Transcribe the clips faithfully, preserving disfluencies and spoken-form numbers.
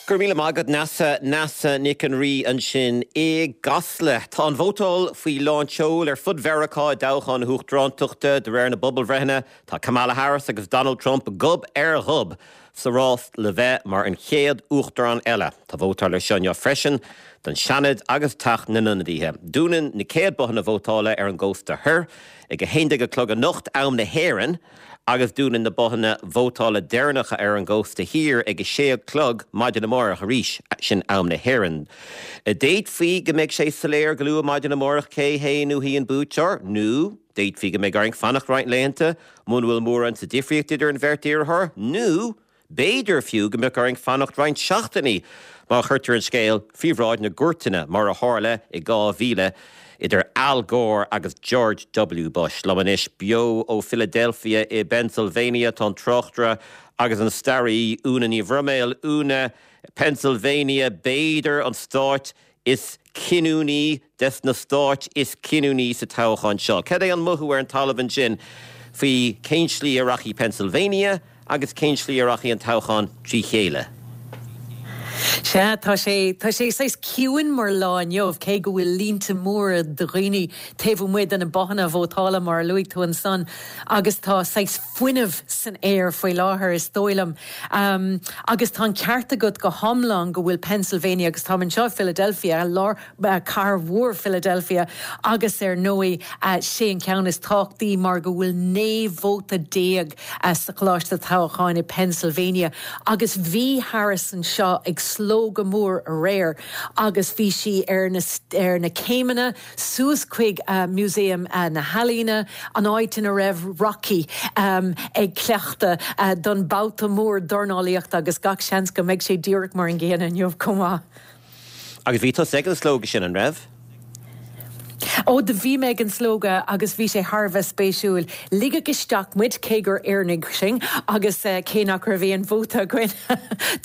Gur míle agad Neasa Neasa Nic an Rí ansin i gCasla. Tá an vótáil faoi lánseol ar fud Mheiriceá i dtoghchán na huachtarántachta de réir na bpobalbhreitheanna tá Kamala Harris agus Donald Trump gob ar ghob sa rás le bheith mar an chéad uachtarán eile. Tá vótáil ar siúl freisin don Seanad agus Teach na nIonadaithe. Dúnann na céad bothanna vótála ar an gcósta thoir ag a haon déag a chlog anocht am na hÉireann, agus dúnann na bothanna vótála deireanacha ar an gcósta thiar ag a sé a chlog maidin amárach arís sin am na hÉireann. D'fhéadfaí go mbeidh sé soiléir go luath maidin amárach cé hé nó hí an buaiteoir nó d'fhéadfaí go mbeidh orainn fanacht roinnt laethanta muna bhfuil mórán sa difríocht idir an bheirt iarrthóir nó b'fhéidir fiú go mbeadh orainn fanacht roinnt seachtainí má chuirtear an scéal faoi bhráid na gcúirteanna mar a tharla i dhá mhíle idir Al Gore agus George W. Bush. Liom anois beo ó Philadelphia i Pennsylvania tá an tráchtaire agus an staraí Úna Ní Bhroiméil Úna Pennsylvania b'fhéidir an stát is cinniúnaí des na stáit is cinniúnaí sa toghchán seo. Cad é an mothú ar an talamh ansin faoi cén slí a rachaidh Pennsylvania agus cén slí a rachaidh an toghchán trí chéile. Sea tá sé tá sé saghas ciúin mar lá inniu cé go bhfuil línte móra de dhaoine taobh amuigh de na bothanna vótála mar a luaigh tú ansan agus tá saghas fuinneamh san aer faoi láthair is dóigh liom. Um, agus tá an ceart agat go hiomlán go bhfuil Pennsylvania agus tá anseo Philadelphia lár uh, cathair mhór Philadelphia agus ar ndóigh uh, sé an ceann is tábhachtaí mar go bhfuil naoi vóta déag uh, sa choláiste toghcháin i Pennsylvania agus bhí Harris anseo ag slógadh mór aréir agus bhí sí ar na, ar na céimeanna suas chuig uh, Museum uh, na hEalaíne an áit ina raibh Rocky um, ag cleachtadh uh, don babhta mór dornálaíochta agus gach seans go mbeidh sé díreach mar an gcéanna inniu chomh maith. Agus bhí tú ag an slógadh sin an raibh? Ó do bhí mé ag an slógadh agus bhí sé thar a bheith spéisiúil. Ligeadh isteach muid cé gur Éireannaigh sinn agus uh, cé nach raibh aon vóta againn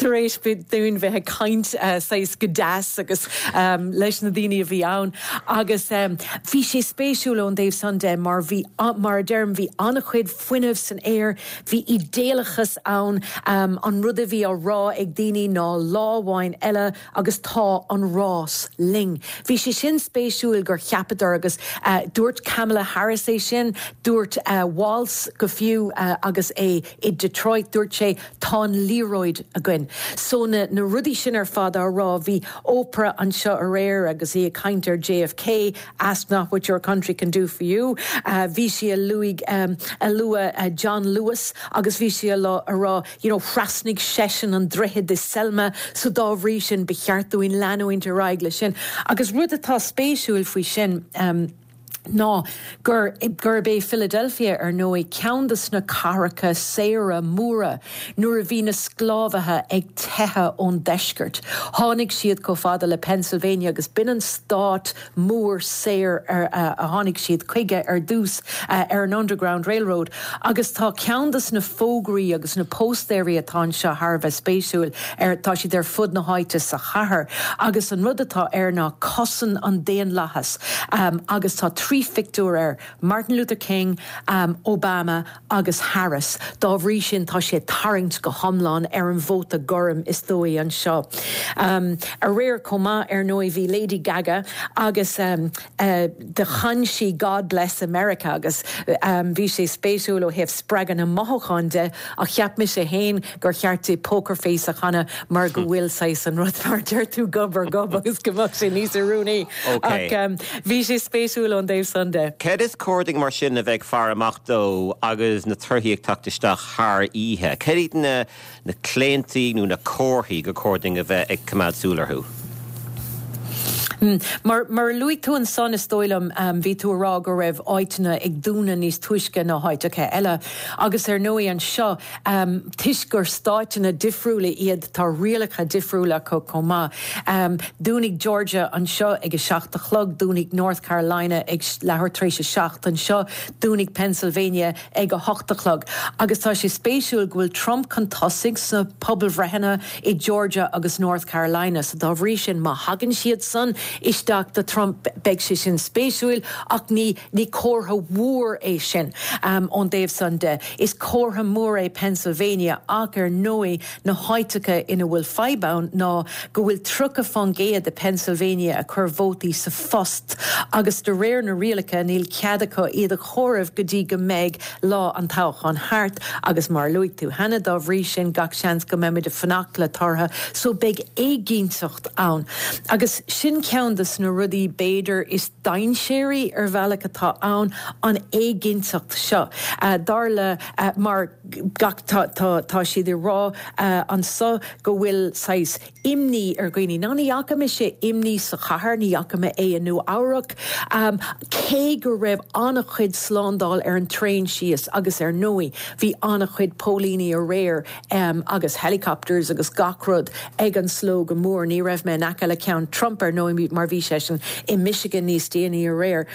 tar éis dúinn bheith ag caint uh, saghas go deas agus um, leis na daoine a bhí ann. Agus um, bhí sé spéisiúil ón dtaobh san de mar bhí mar deirim bhí an-chuid fuinneamh san aer, bhí idéalachas ann um, an rud a bhí á rá ag daoine ná lá amháin eile agus tá an rás linn. Bhí sé sin spéisiúil gur cheapadar agus uh, dúirt Kamala Harris é sin, dúirt uh, Walz go fiú uh, agus é i Detroit dúirt sé tá an liathróid againn. So na, na rudaí sin ar fad á rá bhí Oprah anseo aréir agus í ag caint ar JFK, ask not what your country can do for you. Uh, bhí sí a luaigh um, a lua uh, John Lewis agus bhí sí a rá you know, thrasnaigh seisean an droichead i Selma so dá bhrí sin ba cheart dúinn leanúint ar aghaidh le sin. Agus rud atá spéisiúil faoi sin um, ná gur gurb é Philadelphia ar ndóigh ceann de na cathracha saora móra nuair a bhí na sclábhaithe ag teitheadh ón deisceart. Tháinig siad chomh fada le Pennsylvania agus b'in an stát mór saor ar uh, a tháinig siad chuige ar dtús uh, ar an Underground Railroad. Agus tá ceann de na fógraí agus na póstaerí atá seo thar a bheith spéisiúil ar tá siad ar fud na háite sa chathair. Agus an rud atá air ná cosain an daonlathas um, agus tá trí phictiúr air Martin Luther King, um, Obama agus Harris. Dá bhrí sin tá sé tarraingt go hiomlán ar an vóta gorm is dóigh anseo. Um, aréir chomh maith ar ndóigh bhí Lady Gaga agus um, uh, do chan sí God Bless America agus um, bhí sé spéisiúil ó thaobh spreagadh na mothúchán de a cheap mise féin gur cheart di Poker Face a chanadh mar go bhfuil sé an rud mar deir tú gob ar gob agus go mbeadh sé níos oiriúnaí. Okay. um, bhí sé spéisiúil ón dtaobh san de. Cad is cóir dúinn mar sin a bheith ag faire amach dó agus na torthaí ag teacht isteach thar oíche. Cad iad na na claontaí nó na comharthaí gur cóir dúinn a bheith ag coimeád súil orthu. Mm. Mar mar luaigh tú ansan is dóigh liom um, bhí tú ag rá go raibh áiteanna ag dúnadh níos túisce ná háiteacha eile. Agus ar ndóigh anseo um, toisc gur stáiteanna difriúla iad tá rialacha difriúla acu chomh maith. Um, Dúnfaidh Georgia anseo ag a seacht a chlog, dúnfaidh North Carolina ag leathuair tar éis a seacht anseo, dúnfaidh Pennsylvania ag a hocht a chlog. Agus tá sé spéisiúil go bhfuil Trump chun tosaigh sna pobalbhreitheanna i Georgia agus North Carolina, so dá bhrí sin má thagann siad san isteach do Trump beidh sé sin spéisiúil ach ní ní comhartha mór é sin um, ón dtaobh san de. Is comhartha mór é Pennsylvania ach ar ndóigh na háiteacha ina bhfuil fadhb ann ná go bhfuil tríocha faoin gcéad de Pennsylvania a chuir vótaí sa phost agus de réir na rialacha níl cead acu iad a chomhaireamh go dtí go mbeidh lá an toghcháin thart agus mar luaigh tú cheana dá bhrí sin gach seans go mbeimid ag fanacht le torthaí so beidh éiginnteacht ann. Agus sin ceann de na rudaí b'fhéidir is dainséaraí ar bhealach atá ann an éiginnteacht seo. Uh, dar le uh, mar gach tá, tá, tá siad ag rá uh, anseo go bhfuil saghas imní ar dhaoine. Ná ní fhaca mise imní sa chathair ní fhaca mé é i Nua-Eabhrac, um, cé go raibh an-chuid slándáil ar an traein síos agus ar ndóigh, bhí an-chuid póilíní aréir um, agus helicopters agus gach rud ag an slógadh mór, ní raibh mé in aice le ceann Trump ar ndóigh mar bhí sé sin i Michigan níos déanaí aréir.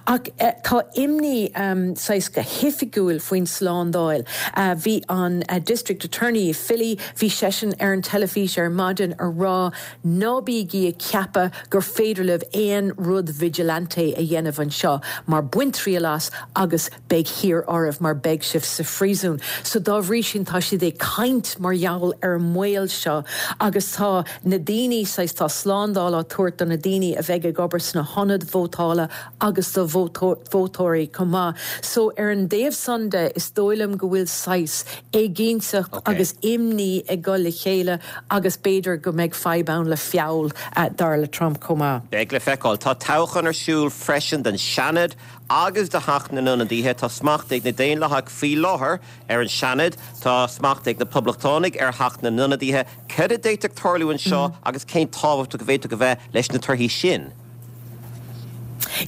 Ach uh, tá imní um, saghas go hoifigiúil faoin slándáil. Uh, bhí an uh, District Attorney Philly, bhí seisean ar an teilifís ar maidin ag rá ná bígí ag ceapadh gur féidir libh aon rud vigilante a dhéanamh anseo mar bain triail as agus beidh thiar oraibh mar beidh sibh sa phríosún. So dá bhrí sin tá siad ag caint mar gheall ar an mbaol seo agus tá na daoine saghas tá slándáil á tabhairt do na daoine a bheidh ag obair sna hionaid vótála agus do vótóirí chomh maith. So ar an dtaobh san de is dóigh liom go bhfuil saghas éiginnteacht okay. agus imní ag dul le chéile agus b'fhéidir go mbeidh fadhb ann le feall uh, dar le Trump chomh maith. Beidh le feiceáil tá toghchán ar siúl freisin don Seanad agus do Theach na nIonadaithe tá smacht ag na Daonlathaigh faoi láthair ar an Seanad tá smacht ag na Poblachtánaigh ar Theach na nIonadaithe cad a d'fhéadfadh tarlú anseo mm. agus cén tábhacht a bhféadfadh a bheith leis na torthaí sin.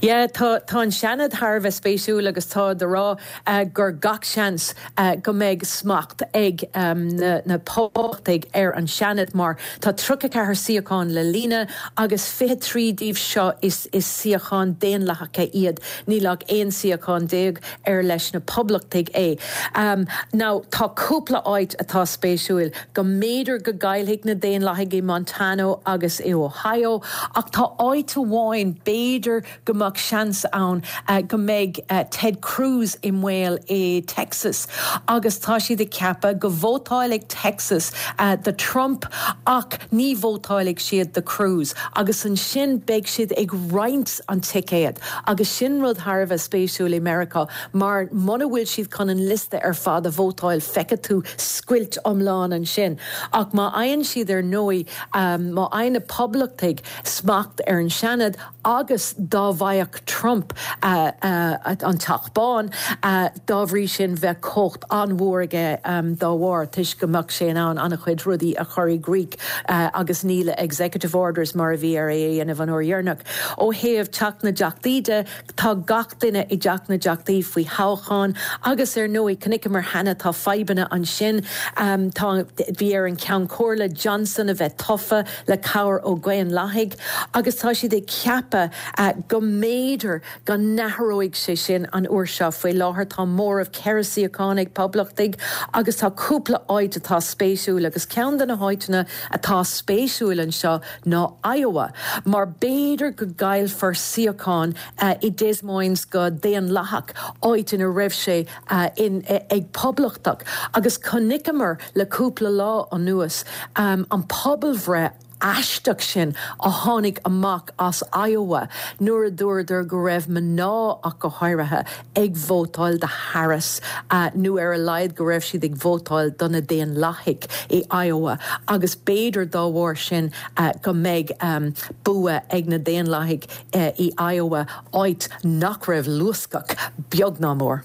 Yeah, tá tá an Seanad thar bheith spéisiúil agus tá á rá uh, gur gach seans uh, go mbeidh smacht ag um, na, na Poblachtaigh ar an Seanad mar tá tríocha ceathair suíochán le líonadh agus fiche trí díobh seo is is suíocháin Daonlathacha iad níl ach aon suíochán déag ar leis na Poblachtaigh é. Um, now tá cúpla áit atá spéisiúil go mb'fhéidir go gcaillfidh na Daonlathaigh i Montana agus i Ohio ach tá áit amháin b'fhéidir go mbeadh seans ann uh, go mbeidh uh, Ted Cruz i mbaol i Texas agus tá siad ag ceapadh go vótálfaidh Texas uh, do Trump ach ní vótálfaidh siad do Cruz agus ansin beidh siad ag roinnt an ticéad agus sin rud thar bheith spéisiúil i Meiriceá mar muna bhfuil siad chun an liosta ar fad a vótáil feicfidh tú scoilt iomlán ansin ach má fhaigheann siad ar ndóigh um, má fhaigheann na Poblachtaigh smacht ar an Seanad agus dá bhfaigheadh Trump uh, uh, an Teach Bán uh, dá bhrí sin bheadh cumhacht an-mhór aige um, dá bharr toisc go mbeadh sé in ann an-chuid rudaí a chur i gcrích uh, agus ní le executive orders mar a bhí air é dhéanamh an uair dheireanach. Ó thaobh Teach na dTeachtaí de tá gach duine i dTeach na dTeachtaí faoi thoghchán agus ar ndóigh chonaiceamar cheana tá fadhbanna ansin um, tá bhí ar an Ceann Comhairle Johnson a bheith tofa le cabhair ó Dhaonlathaigh agus tá siad ag ceapadh uh, go mb'fhéidir go n-athróidh sé sin an uair seo faoi láthair tá móramh ceithre shuíochán ag Poblachtaigh agus tá cúpla áit atá spéisiúil agus ceann de na háiteanna atá spéisiúil anseo ná Iowa, mar b'fhéidir go gcaillfear suíochán uh, i Des Moines go Daonlathach áit ina raibh sé uh, in, uh, ag Poblachtach agus chonaiceamar le cúpla lá anuas um, an pobalbhreith aisteach sin a tháinig amach as Iowa nuair a dúradar go raibh mná ach go háirithe ag vótáil do Harris uh, nó ar a laghad go raibh siad ag vótáil do na Daonlathaigh i Iowa agus b'fhéidir dá bharr sin uh, go mbeidh um, bua ag na Daonlathaigh uh, i Iowa áit nach raibh luascach beag ná mór.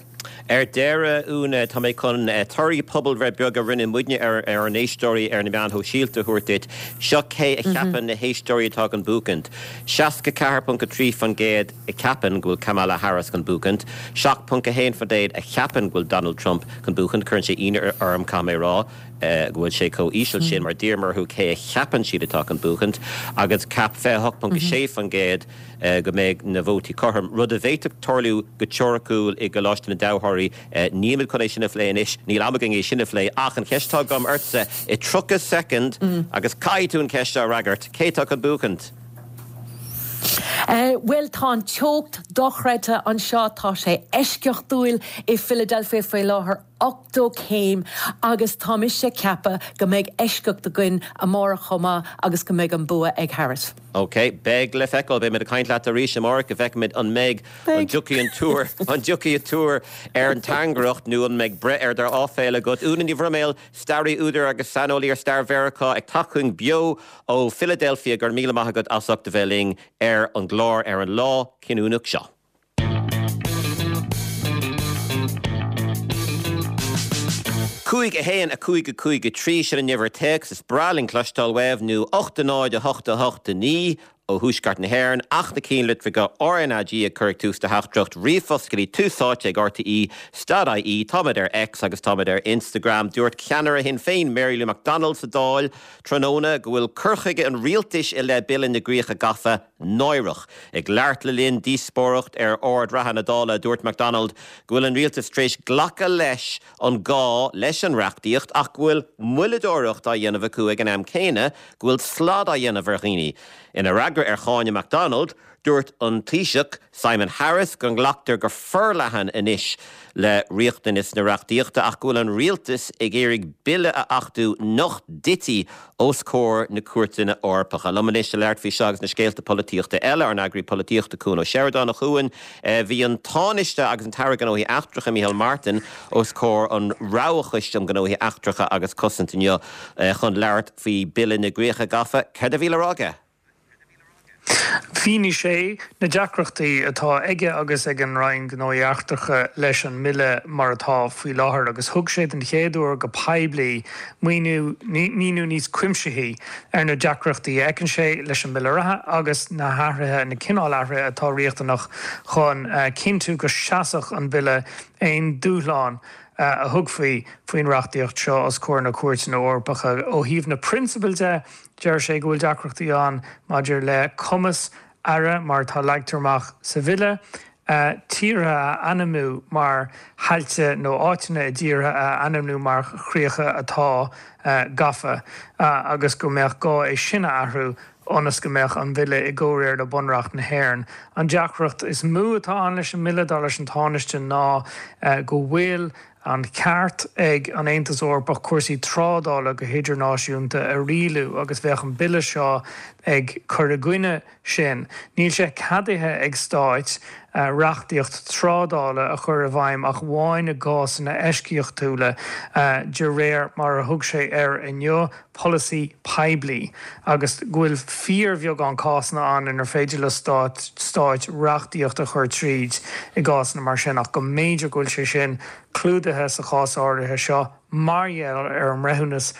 Ar deireadh Úna tá mé chun eh, torthaí pobalbhreith beag a rinne muidne ar ar an éisteoirí ar na meáin shóisialta a thabhairt duit. Seo cé a cheapann na héisteoirí atá chun buachaint. Seasca ceathair ponc a trí faoin gcéad a cheapann go bhfuil Kamala Harris chun buachaint. Seacht ponc a haon faoin gcéad a cheapann go bhfuil Donald Trump chun buachaint cuireann sé ionadh orm caithfidh mé rá. Uh, go bhfuil sé chomh híseal sin mar d'iarramar orthu cé a cheapann siad atá chun buachaint agus cheap fiche hocht ponc sé faoin gcéad uh, go mbeidh na vótaí cothrom. Rud a bhféadfadh tarlú go teoiriciúil i gColáiste na dToghthóirí uh, níl chun é sin a phlé anois níl am againn é sin a phlé ach an cheist atá agam ortsa i tríocha soicind mm. agus caithfidh tú an cheist a fhreagairt cé atá chun buachaint. Bhuel tá an teocht dochreidte anseo tá sé eisceachtúil i Philadelphia faoi láthair ochtó céim agus tá mise ag ceapadh go mbeidh eisceacht againn amárach chomh maith agus go mbeidh an bua ag Harris. Ok, beidh le feiceáil beimid ag caint leat arís amárach go bhfeicfimid an mbeidh an dtiocfaidh an tuar an dtiocfaidh an tuar ar an tairngreacht nó an mbeidh breith ar d'áiféala agat. Úna Ní Bhroiméil, staraí údar agus saineolaí ar stair Mheiriceá ag teacht chugainn beo ó Philadelphia go raibh míle maith agat as ucht a bheith linn ar an gclár ar an lá cinniúnach seo. Cúig a haon a cúig a cúig a trí sin an uimhir téacs is breá linn cloisteáil uaibh nó ocht a náid a hocht a hocht a naoi ó Thuaisceart na hÉireann ach na cinnlitreacha RnaG ag cur ag tús do theachtaireacht ríomhphost go dtí Tús Áite ag RTÉ dot IE táimid ar X agus táimid ar Instagram. Dúirt ceannaire Shinn Féin Mary Lou McDonald sa Dáil tráthnóna go bhfuil cur chuige an rialtais i leith Bille na gCríocha Gafa náireach. Ag labhairt le linn díospóireacht ar ord reatha na Dála, dúirt McDonald go bhfuil an rialtas tar éis glacadh leis an gá leis an reachtaíocht ach go bhfuil moilleadóireacht á dhéanamh acu ag an am céanna go bhfuil slad á dhéanamh ar dhaoine. Ina fhreagra ar cháineadh McDonald, dúirt an Taoiseach Simon Harris go nglactar go forleathan anois le riachtanas na reachtaíochta ach go bhfuil an rialtas ag iarraidh bille a achtú nach dtitfidh os comhair na cúirteanna Eorpacha. Liom anois le labhairt faoi seo agus na scéalta polaitíochta eile, ár n-eagraí polaitíochta Cuan Ó Seireadáin. A Chuain, bhí an Tánaiste agus an tAire Gnóthaí Eachtracha Micheál Martin os comhair an Roghchoiste um Ghnóthaí Eachtracha agus Cosaint inniu chun labhairt faoi Bille na gCríocha Gafa. Céard a bhí le rá aige? Mhínigh sé na deacrachtaí atá aige agus ag an Roinn Gnóthaí Eachtracha leis an mbille mar atá faoi láthair agus thug sé den chéad uair go poiblí míniú míniú níos cuimsithí ar na deacrachtaí a fheiceann sé leis an mbille reatha agus na hathruithe, na cineál athruithe atá riachtanach chun cinntiú go seasfadh an bille aon dúshlán a thugfaí faoin reachtaíocht seo os comhair na Cúirteanna Eorpacha. Ó thaobh na prionsabail de, deir sé go bhfuil deacrachtaí ann maidir le cumas aire, mar atá leagtar amach sa bhille, tíortha a ainmniú mar thailte nó áiteanna i dtíortha a ainmniú mar chríocha atá gafa agus go mbeadh gá é sin a athrú ionas go mbeadh an bille i gcomhréir le Bunreacht na hÉireann. An deacracht is mó atá ann leis an mbille, dar leis an Tánaiste, ná go bhfuil an ceart ag an Aontas Eorpach cúrsaí trádála go hidirnáisiúnta a rialú agus bheadh an bille seo ag cur i gcoinne sin. Níl sé ceadaithe ag stáit reachtaíocht trádála a chur i bhfeidhm ach amháin i gcásanna eisceachtúla, de réir mar a thug sé air inniu, polasaí poiblí, agus go bhfuil fíorbheagán cásanna ann inar féidir le stáit reachtaíocht a chur tríd i gcásanna mar sin ach go mb'fhéidir go bhfuil sé sin clúdaithe sa chás áirithe seo mar gheall ar an mbreithiúnas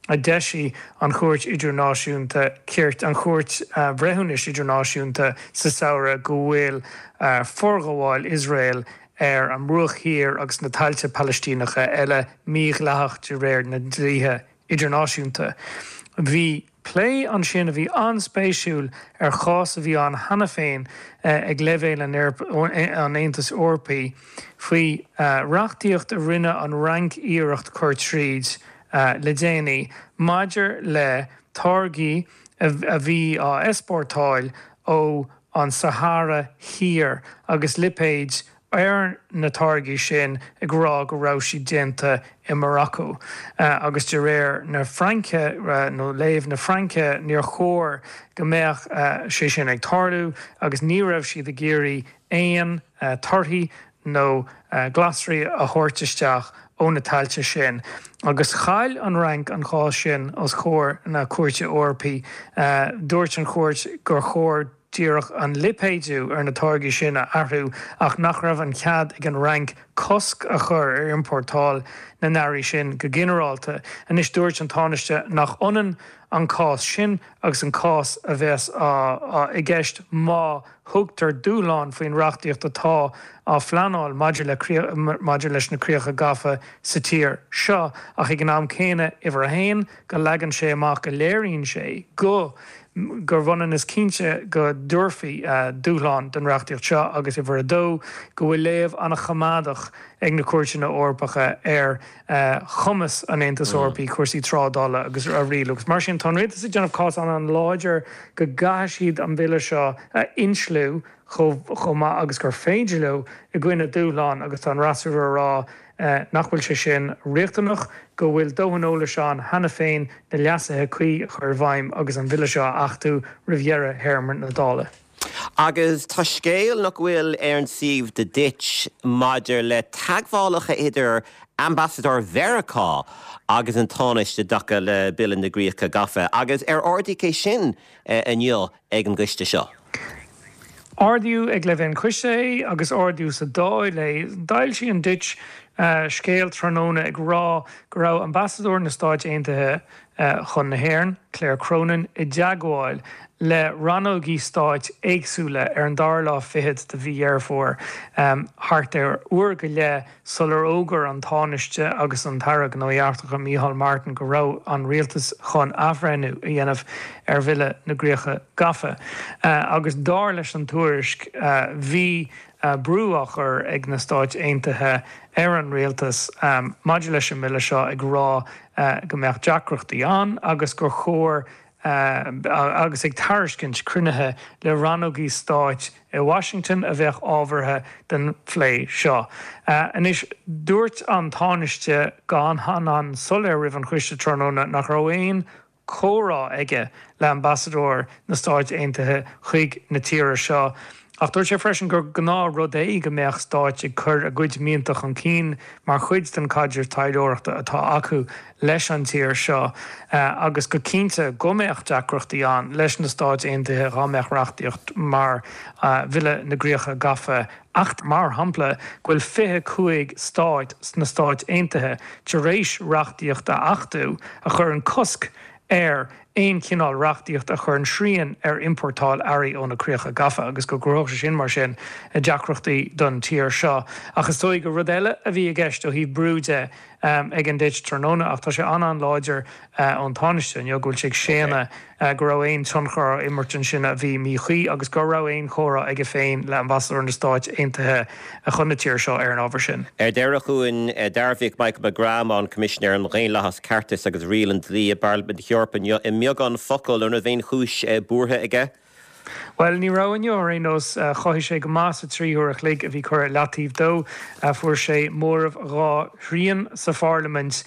a d'eisigh an Chúirt Idirnáisiúnta Cirt, an Chúirt Bhreithiúnais Idirnáisiúnta sa samhradh go bhfuil forghabháil Iosrael ar an mBruach Thiar agus na tailte Palaistíneacha eile mídhleathach de réir na ndlíthe idirnáisiúnta. Bhí plé ansin a bhí an-spéisiúil ar chás a bhí ann cheana féin ag leibhéal an Aontais Eorpaigh faoi reachtaíocht a rinne an Fhrainc iarracht cur tríd le déanaí maidir le táirgí a bhí á easpórtáil ó an Sahára Thiar agus lipéid ar na táirgí sin ag rá go raibh siad déanta i Maracó. Agus de réir na Fraince, nó léamh na Fraince, níor chóir go mbeadh sé sin ag tarlú agus ní raibh siad ag iarraidh aon torthaí nó glasraí a thabhairt isteach ó na tailte sin. Agus chaill an Fhrainc an cás sin os comhair na Cúirte Eorpaí. Dúirt an chúirt gur chóir díreach an lipéadú ar na táirgí sin a athrú ach nach raibh an cead ag an Fhrainc cosc a chur ar iompórtáil na n-earraí sin go ginearálta. Anois dúirt an Tánaiste nach ionann an cás sin agus an cás a bheas i gceist má thugtar dúshlán faoin reachtaíocht atá á phleanáil maidir le maidir leis na críocha gafa sa tír seo ach ag an am céanna, uimhir a haon, go leagann sé amach go léiríonn sé go Gur bhionann is cinnte go dtabharfaí dúshlán don reachtaíocht seo agus uimhir a dó, go bhfuil léamh an-choimeádach ag na cúirteanna Eorpacha ar chumas an Aontais Eorpaigh cúrsaí trádála agus a rialú. Agus mar sin, tá an rialtas ag déanamh cás an-láidir go gcaithfidh siad an bille seo a insliú chomh maith agus gur féidir leo i gcoinne dúshlán agus tá an fhreasúra ag rá nach bhfuil sé sin riachtanach, go bhfuil dóthain eolais ann cheana féin na leasuithe cuí a chur i bhfeidhm agus an bille seo a achtú roimh dheireadh théarma na Dála. Agus tá scéal nach bhfuil ar an suíomh The Ditch maidir le teagmhálacha idir ambasadóir Mheiriceá agus an Tánaiste i dtaca le Bille na gCríocha Gafa agus ar ardaíodh é sin inniu ag an gcoiste seo? Ardaíodh ag leibhéal an choiste é agus ardaíodh sa Dáil é. D'fhoilsigh an Ditch scéal tráthnóna ag rá go raibh ambasadóir na Stáit Aontaithe chun na hÉireann, Claire Cronin, i dteagmháil le rannógaí stáit éagsúla ar an dara lá fichead de mhí Dheireadh Fómhair, thart ar uair go leith sular fhógair an Tánaiste agus an tAire Gnóthaí Eachtracha Micheál Martin go raibh an rialtas chun athbhreithniú a dhéanamh ar Bhille na gCríocha Gafa. Agus dar leis an tuairisc, bhí brú á chur ag na Stáit Aontaithe ar an rialtas maidir leis an mbille seo ag rá go mbeadh deacrachtaí ann agus gur chóir agus ag tairiscint cruinnithe le rannógaí stáit i Washington a bheadh ábhartha don phlé seo. Anois, dúirt an Tánaiste go han-an-soiléir roimh an choiste tráthnóna nach raibh aon chomhrá aige le ambasadóir na Stáit Aontaithe chuig na tíre seo. Ach dúirt sé freisin gur gnáthrud é go mbeadh stáit ag cur a gcuid mianta chun cinn mar chuid den chaidreamh taidhleoireachta atá acu leis an tír seo agus go cinnte go mbeadh deacrachtaí ann leis na Stáit Aontaithe dhá mbeadh reachtaíocht mar Bhille na gCríocha Gafa ach mar shampla go bhfuil fiche cúig stát sna Stáit Aontaithe tar éis reachtaíocht a achtú a chuireann cosc ar aon chineál reachtaíocht a chuireann srian ar iompórtáil earraí ó na críocha gafa agus go gcruthódh sé sin mar sin deacrachtaí don tír seo. Ach is dóigh gur rud eile a bhí i gceist ó thaobh brú de ag an Ditch tráthnóna ach tá sé an-an-láidir ón Tánaiste inniu go bhfuil sé ag séanadh go raibh aon tionchar á imirt ansin a bhí míchuí agus go raibh aon chomhrá aige féin le ambasadóir na Stáit Aontaithe chun na tíre seo ar an ábhar sin. Ar deireadh chugainn, dearbhaíodh Michael McGrath, an Coimisinéir um Dhaonlathas, Ceartas agus Riail an Dlí i bParlaimint na hEorpa inniu i mbeagán focal an raibh aon chúis buartha aige. Bhuel, ní raibh inniu ar aon nós. Chothaigh sé go maith sa trí huair a chloig a bhí curtha i leataobh dó. Fuair sé móramh dhá thrian sa pharlaimint.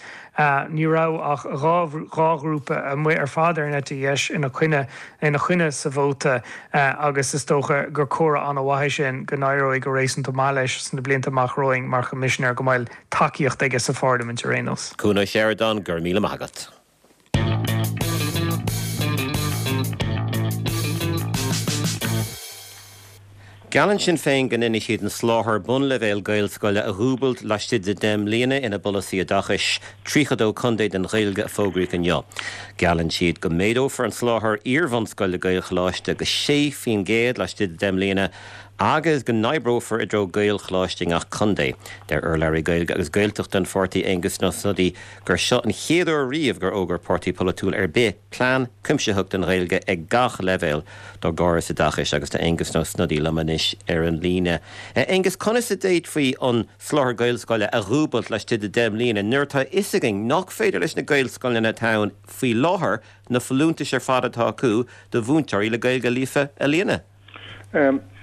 Ní raibh ach dhá dhá ghrúpa amuigh ar fad ar an eite dheis ina choinne ina choinne sa vóta agus is dócha gur comhartha an-mhaith é sin go n-éireoidh go réasúnta maith leis sna blianta amach romhainn mar Choimisinéir go mbeidh tacaíocht aige sa pharlaimint ar aon nós. Cuan Ó Seireadáin, go raibh míle maith agat. Geallann Sinn Féin go ndéanfaidh siad an soláthar bunleibhéal Gaelscoile a dhúbailt laistigh de deich mbliana ina bpolasaí oideachais tríocha dó contae don Ghaeilge a fógraíodh inniu. Geallann siad go méadófar an soláthar iar-bhunscoile Gaelcholáiste go sé faoin gcéad laistigh de deich mbliana agus go n-oibreofar i dtreo Gaelcholáiste i ngach contae. Deir urlabhraí Gaeilge agus Gaeltachta an pháirtí Aengus Ó Snodaigh gur seo an chéad uair riamh gur fhógair páirtí polaitiúil ar bith plean cuimsitheach don Ghaeilge ag gach leibhéal dá gcóras oideachais agus tá Aengus Ó Snodaigh liom anois ar an líne. Aengus, conas a d'fhéadfaí an soláthar Gaelscoile a dhúbailt laistigh de deich mbliana nuair atá a fhios againn nach féidir leis na Gaelscoileanna atá ann faoi láthair na folúntais ar fad atá acu do mhúinteoirí le Gaeilge líofa a líonadh?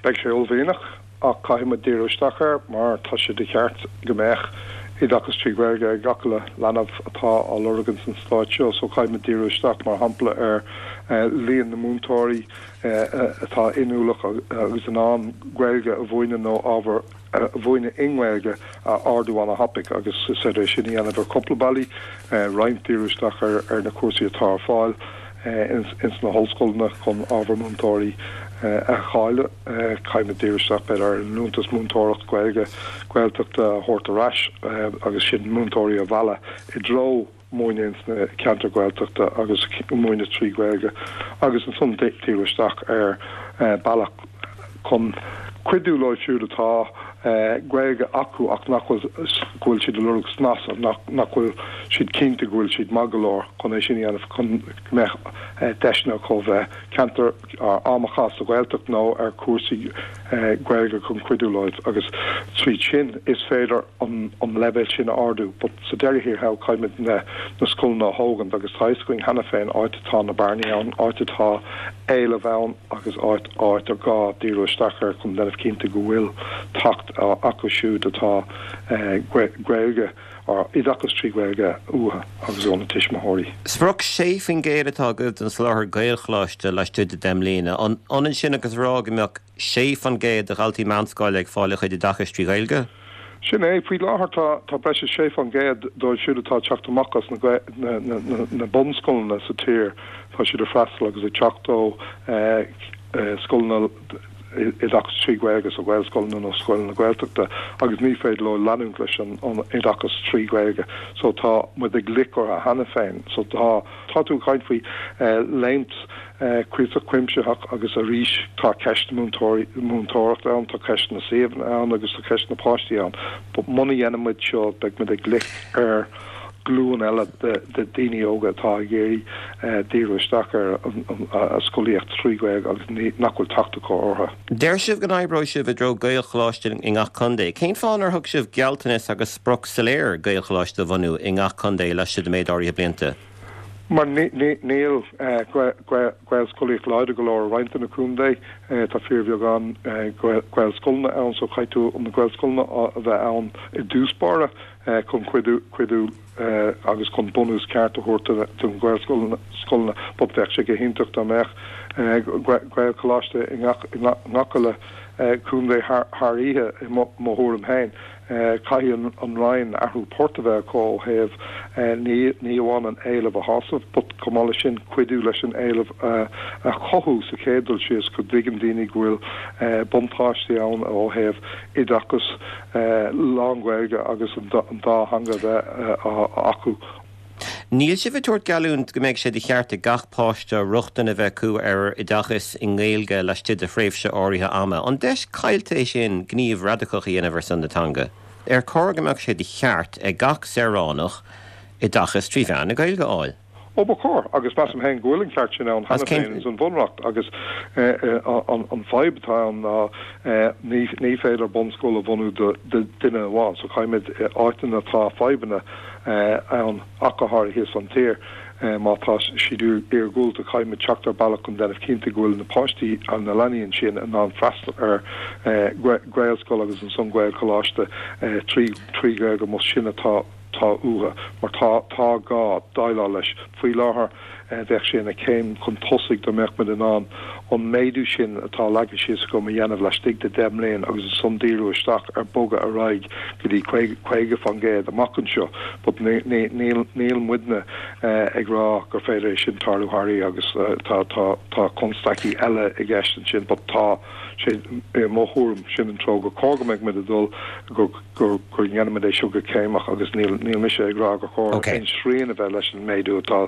Beidh sé uaillmhianach ach caithfidh muid díriú isteach air mar tá sé de cheart go mbeadh oideachas trí Ghaeilge ag gach uile leanbh atá á lorg ins an stát seo so caithfidh muid díriú isteach mar shampla ar líon na múinteoirí atá inniúil agus in ann Gaeilge a mhúineadh nó ábhar a mhúineadh i nGaeilge a ardú an-thapaidh agus is féidir é sin a dhéanamh ar cúpla bealaí, roinnt díriú isteach ar na cúrsaí atá ar fáil ins na hollscoileanna chun ábhar múinteoirí a cháiliú. Caithfidh muid díriú isteach b'fhéidir ar an liúntas múinteoireacht Gaeilge Gaeltachta a thabhairt ar ais agus sin múinteoirí a mhealladh i dtreo múineadh ins na ceantair Ghaeltachta agus múineadh trí Ghaeilge agus ansan díriú isteach ar bealach chun cuidiú leo siúd atá Gaeilge acu ach nach bhfuil go bhfuil siad ag lorg snas nach nach bhfuil siad cinnte go bhfuil siad maith go leor chun é sin a dhéanamh chun go mbeadh deiseanna acu bheith ceantar am a chaitheamh sa Ghaeltacht nó ar cúrsaí Gaeilge chun cuidiú leo agus tríd sin is féidir an an leibhéal sin a ardú. But sa deireadh thiar thall caithfimid na na scoileanna a thógaint agus tá fhios againn cheana féin áit atá na bearnaí ann, áit atá éileamh ann agus áit áit ar gá díriú isteach air chun déanamh cinnte go bhfuil teacht acu siúd atá Gaeilge or oideachas trí Ghaeilge uathu agus ó na tuismitheoirí. Sprioc sé faoin gcéad atá agaibh don soláthar Gaelcholáiste laistigh de deich mbliana. An ionann sin agus rá go mbeadh sé faoin gcéad de dhaltaí meánscoile ag fáil a chuid oideachais trí Ghaeilge? Sin é faoi láthair tá tá breis is sé faoin gcéad dóibh siúd atá ag teacht amach as na na na na bunscoileanna sa tír tá siad ag freastal agus ag teacht ó scoileanna oideachas trí Ghaeilge so Gaelscoileanna nó scoileanna Gaeltachta agus ní féidir leo leanúint leis an oideachas trí Ghaeilge so tá muid ag loiceadh orthu cheana féin so tá tá tú ag caint faoi léimt cuíosach cuimsitheach agus arís tá ceist na múinteoirí múinteoireachta ann tá ceist na suíomhanna ann agus tá ceist na páistí ann but muna dhéanann muid seo beidh muid ag loiceadh ar glúin eile de daoine óga atá ag iarraidh díriú isteach ar an scolaíocht trí Ghaeilge agus nach bhfuil teacht acu orthu. Deir sibh go n-oibreoidh sibh i dtreo Gaelcholáiste i ngach contae. Cén fáth nár thug sibh gealltanas agus sprioc soiléir Gaelcholáiste a bhunú i ngach contae laistigh de méid áirithe blianta? Mar níl Gaelscolaíocht láidir go leor i roinnt de na contaetha, tá fíorbheagán Gaelscoileanna ann so caithfidh tú na Gaelscoileanna a bheith ann i dtús báire chun cuidiú cuidiú agus chun bunús ceart a thabhairt don Ghaelscoileanna but bheadh sé go hiontach dá mbeadh Gaelcholáiste i ngach uile contae thar oíche i mo thuairim féin. Caithfidh an Roinn athrú poirt a bheith acu ó thaobh ní ní amháin an éileamh a shásamh, but chomh maith leis sin cuidiú leis an éileamh a chothú sa chéad dul síos go dtuigeann daoine go bhfuil buntáistí ann ó thaobh oideachas lán-Ghaeilge agus an dá theanga bheith acu. Níl sibh ag tabhairt geallúint go mbeidh sé de cheart ag gach páiste rochtain a bheith acu ar oideachas i nGaeilge laistigh de thréimhse áirithe ama. An deis caillte é sin gníomh radacach a dhéanamh ar son na teanga? Ar chóir go mbeadh sé de cheart ag gach saoránach oideachas trí mheán na Gaeilge a fháil? Ó ba chóir, agus measaim féin go bhfuil an ceart sin ann cheana féin ins an Bhunreacht agus an fadhb atá ann ná ní ní féidir bunscoil a bhunú do duine amháin so caithfimid áiteanna atá fadhbanna ann ach go háirithe san tír má tá siad iargúlta caithfimid teacht ar bealach chun déanamh cinnte go bhfuil na páistí na leanaí ansin in ann freastal ar Ghaelscoil agus ansan Gaelcholáiste trí trí Ghaeilge más sin atá tá uathu mar tá tá gá déileáil leis. Faoi láthair bheadh sé ina chéim chun tosaigh dá mbeadh muid in ann an méadú sin atá leagtha síos agam a dhéanamh laistigh de deich mbliain agus ansan díriú isteach ar bogadh ar aghaidh go dtí caoga faoin gcéad amach anseo. But níl níl muidne ag rá gur féidir é sin tarlú thar oíche agus tá tá tá constaicí eile i gceist ansin but tá sé i mo thuairim sin an treo gur chóir go mbeadh muid ag dul gur gur gur ndéanfaimid é seo go céimeach agus níl níl mise ag rá gur chóir aon srian a bheith leis an méadú atá